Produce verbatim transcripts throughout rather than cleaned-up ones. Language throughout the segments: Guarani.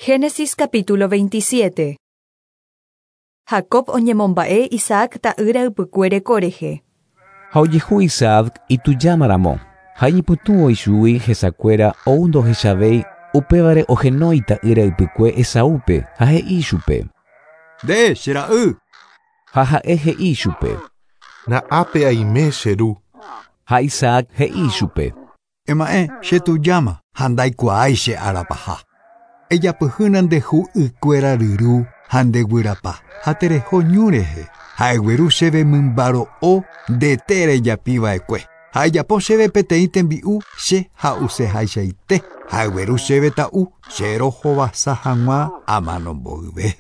Génesis capítulo veintisiete. Jacob oñemomba'e Isaac ta'ýra ypykue reko rehe. Ha ojehu Isaac itujámaramo, ha iñypytũ ichugui hesakuéra ou ndohechavéi upévare ohenói ta'ýra ypykue Esaúpe ha he'i ichupe. Nde che ra'y. Ha ha'e he'i ichupe. Na'ápe aime che ru. Ha Isaac he'i ichupe. Ema'ẽ che tujáma ha ndaikuaái che arapaha. Ejapyhýna nde hu'ykuéra ryru ha ndeguyrapa ha tereho ñu rehe ha egueru chéve mymbaro'o ndete rejapiva'ekue ha ejapo chéve peteĩ tembi'u che ha'usehaichaite ha egueru chéve ta'u che rohovasa hag̃ua amanomboyve.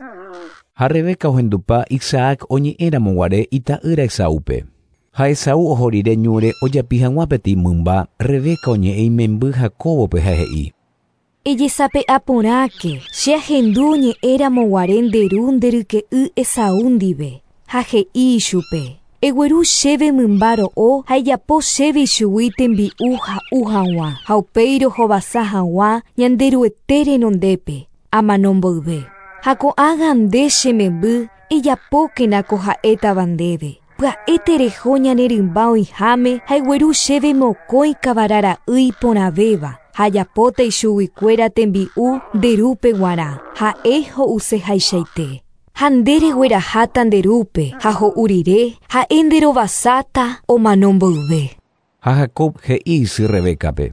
Ha Rebeca ohendupa Isaac oñe'ẽramoguare ita'ýra Esaúpe. Ha Esaú oho rire ñúre ojapi hag̃ua peteĩ mymba, Rebeca oñe'ẽ imemby Jacóbope ha he'i. Ejesape'aporãke, che ahendu oñe'ẽramoguare nde ru nde ryke'y Esaú ndive, ha he'i ichupe. Egueru chéve mymba ro'o ha ejapo chéve ichugui tembi'u ha'u hag̃ua ha upéi rohovasa hag̃ua Ñanderuete renondépe, amanomboyve. Ha ko'ág̃a nde che memby ejapókena ko ha'étava ndéve. Pya'e tereho ñane rymba oĩháme ha egueru chéve mokõi kavarara'y iporãvéva ha ajapóta ichuguikuéra tembi'u nde rúpe g̃uarã ha'e ho'usehaichaite. Ha nde regueraháta nde rúpe ha ho'u rire ha'e nderovasáta omanomboyve. Ha Jacob he'i isy Rebecape.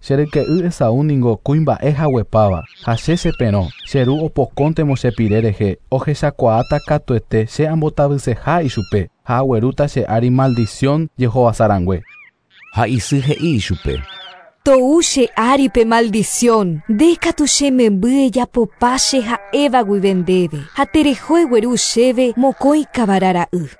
Che ryke'y Esaú ningo kuimba'e haguepáva ha che cheperõ che ru opokóntemo che pire rehe ohechakuaáta katuete che ambotavyseha ichupe ha aguerúta che ári maldición jehovasarangue. Ha isy he'i ichupe. Tou che ári pe maldición, nde katu che memby ejapopa che ha'éva guive ndéve ha tereho egueru chéve mokõi kavarara'y.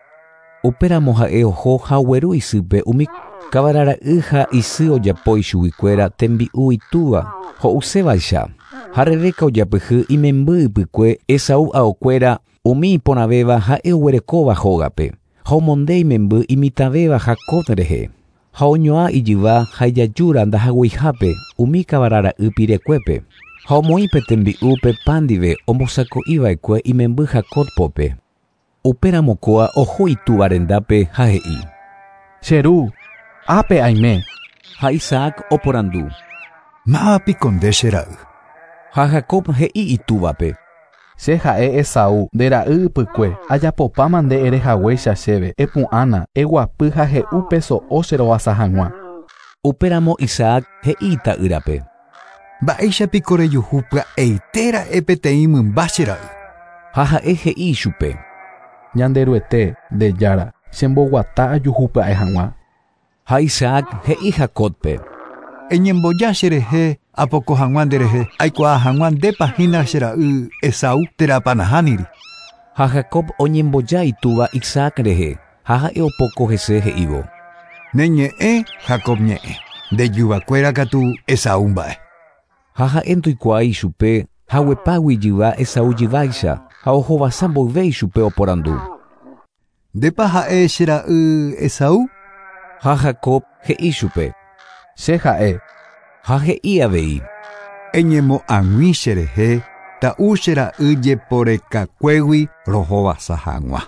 Upéramo ha'e oho ha ogueru isýpe umi kavarara'y ha isy ojapo ichuguikuéra tembi'u itúva ho'usévaicha. Ha Rebeca ojapyhy imemby ypykue Esaú aokuéra umi iporãvéva ha'e oguerekóva hógape ha omonde imemby imitãvéva Jacob rehe. Ha oñoa ijyva ha ijajúra ndahagueihápe umi kavarara'y pirekuépe. Ha omoĩ pe tembi'u pe pan ndive ombosako'iva'ekue imemby Jacob pópe. Upéramo kóa oho itúva rendápe ha he'i. Che ru, ápe aime. Ha Isaac oporandu. Mávapiko nde che ra'y. Ha Jacob he'i itúvape. Che ha'e Esaú nde ra'y ypykue ajapopáma nde ere haguéicha chéve epu'ãna eguapy ha he'u pe so'o che rovasa hag̃ua. Upéramo Isaac he'i ita'ýrape. Mba'éichapiko rejuhu pya'eitéra'e peteĩ mymba che ra'y. Ha ha'e he'i ichupe. Ñanderuete nde jára chemboguata ajuhu pya'e hag̃ua. Ha Isaac he'i Jacobpe. Eñemboja cherehe apoko hag̃ua nderehe aikuaa hag̃ua ndépa hína che ra'y Esaú térãpa nahániri. Ha Jacob oñemboja itúva Isaac rehe ha ha'e opoko hese he'ívo. Ne ñe'ẽ Jacob ñe'ẽ nde jyvakuéra katu Esaú mba'e. Ha ha'e ndoikuaái ichupe haguepágui ijyva Esaú jyváicha ha ohovasa mboyve ichupe oporandu. Ndépa ha'e che ra'y Esaú? Ha Jacob he'i chupe. Che ha'e. Ha he'i avei. Eñemo'ag̃ui cherehe ta'u che ra'y jeporekakuégui rohovasa hag̃ua.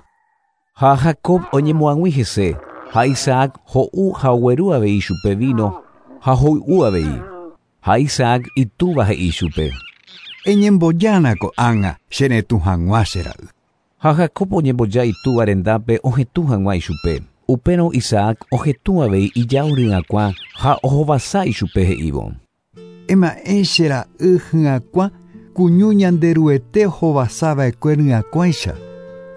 Ha Jacob oñemo'ag̃ui hese ha Isaac ho'u ha ogueru avei chupe vino ha hoy'u avei. Ha Isaac itúva he'i chupe. Eñembojána ko'ág̃a cheretũ hag̃ua che ra'y. Ha Jacob oñemboja itúva rendápe ohetũ hag̃ua ichupe. Upérõ Isaac ohetũ avei ijao ry'akuã ha ohovasa ichupe he'ívo. Ema'ẽ che ra'y hy'akuã kuñu Ñanderuete ohovasava'ekue ry'akuãicha.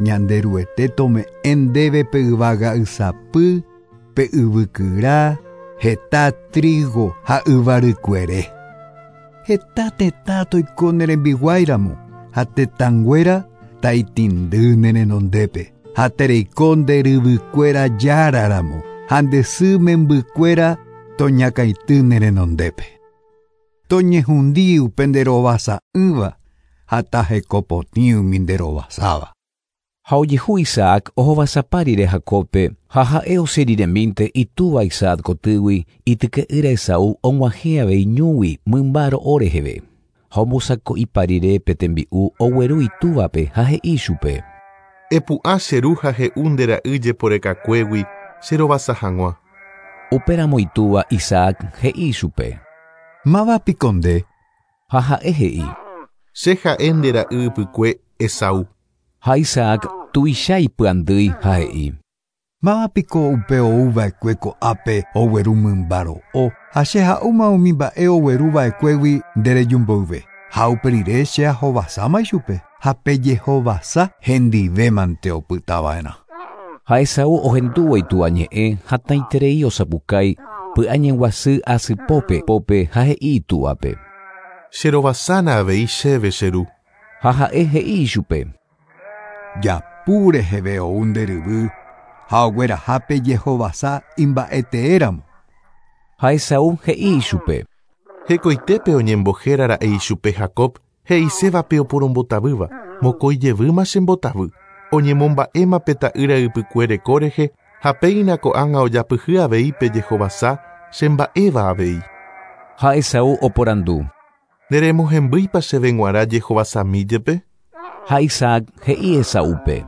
Ñanderuete tome'ẽ ndéve pe yvága ysapy, pe yvykyra, heta trigo ha yvarykuere. Heta tetã toiko ne rembiguáiramo ha tetãnguéra taitindy ne renondépe. Ha tereiko nde ryvykuéra járaramo ha nde sy membykuéra toñakãity ne renondépe. Toñehundi upe nderovasa'ỹva ha tahekopotĩ umi nderovasáva. Ha ojehu Isaac ohovasapa rire Jacobpe ha ha'e osẽ riremínte itúva Isaac kotýgui ityke'ýra Esaú og̃uahẽ avei ñúgui mymba ro'o reheve. Ha ombosako'ipa rire pe tembi'u ogueru itúvape ha he'i chupe. Epu'ã che ru ha he'u nde ra'y jeporekakuégui che rovasa hag̃ua. Upéramo itúva Isaac he'i chupe. Mávapiko nde? Ha ha'e he'i. Che ha'e nde ra'y ypykue Esaú. Ha Isaac tuicha ipy'andýi ha he'i. Mávapiko upe ouva'ekue ko'ápe ogueru mymba ro'o ha che ha'úma umi mba'e ogueruva'ekuégui nderejumboyve. Ha upe rire che ahovasáma ichupe ha pe jehovasa hendivémante opytava'erã. Ha Esaú ohendúvo itúva ñe'ẽ hatãiterei osapukái py'añeguasy asypópe pópe ha he'i itúvape. Che rovasána avei chéve che ru. Ha ha'e he'i ichupe. Japu reheve ou nde ryvy ha ogueraha pe jehovasa imba'eteéramo. Ha Esaú he'i ichupe. Hekoitépe oñembohérara'e ichupe Jacob he'isévape oporombotavýva mokõi jevýma chembotavy oñemomba'éma pe ta'ýra ypykue reko rehe ha péina ko'ág̃a ojapyhy avei pe jehovasa chemba'éva avei. Ha Esaú oporandu. Neremohembýipa chéve g̃uarã jehovasami jepe? Ha Isaac he'i Esaúpe.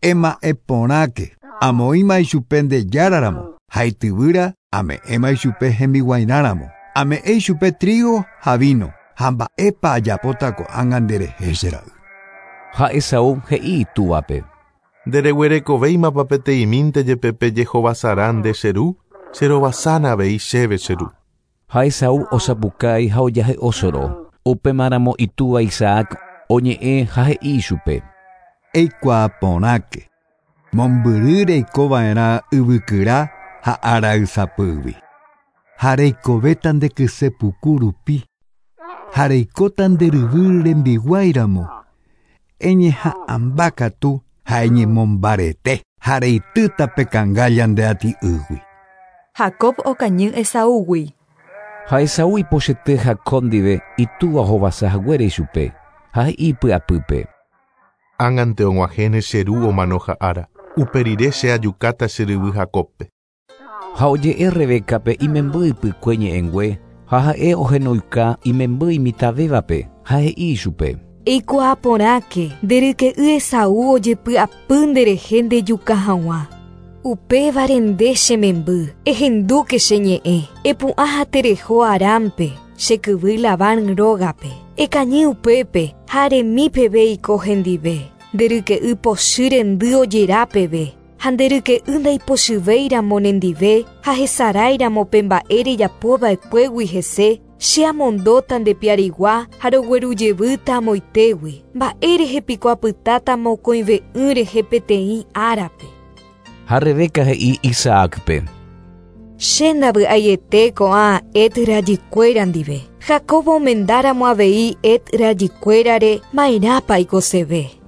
Ema'ẽporãke amoĩma ichupe nde járaramo ha ityvýra ame'ẽma ichupe hembiguairãramo. Ame'ẽ ichupe trigo ha vino ha mba'épa ajapóta ko'ág̃a nderehe che ra'y. Ha Esaú he'i itúvape. Ndereguerekovéimapa peteĩmínte jepe pe jehovasarã nde che ru, che rovasána avei chéve che ru. Ha Esaú osapukái ha ojahe'osoro. Upémaramo itúva Isaac oñe'ẽ ha he'i ichupe. Eikuaaporãke mombyry reikova'erã yvykyra ha araysapýgui. Ha reikovéta nde kysepuku rupi. Ha reikóta nde ryvy rembiguáiramo. Eñeha'ãmbakatu ha eñemombarete ha reitýta pe kangálla nde ati'ýgui. Jacob okañy Esaúgui. Ha Esaú ipochyete Jacob ndive itúva ohovasahaguére ichupe ha he'i py'apýpe. Ág̃ante og̃uahẽne che ru omano ha'ára. Upe rire che ajukáta che ryvy Jacobpe. Ha oje'e Rebécape imemby ypykue ñe'ẽngue ha ha'e ohenoika imemby imitãvévape ha he'i ichupe. Eikuaaporãke nde ryke'y Esaú ojepy'apy nderehe ndejuka hag̃ua. Upévare nde che memby, ehendúke che ñe'ẽ, epu'ã ha tereho Arámpe, che kyvy Labán rógape. Ekañy upépe ha aremi peve iko hendive. Nde ryke'y pochy rendy ojera peve. Ha nde ryke'y ndaipochyvéiramo nendive ha hesaráiramo pe mba'e rejapova'ekuégui hese, che amondóta nde piarigua ha roguerujevýta amoitégui. Mba'érehe piko apytáta mokõive'ỹ rehe peteĩ árape. Ha Rebeca he'i Isaácpe. Che ndavy'aiete ko'ã Het rajykuéra ndive. Jacob omendáramo avei Het rajykuérare ma'erãpa aikoseve.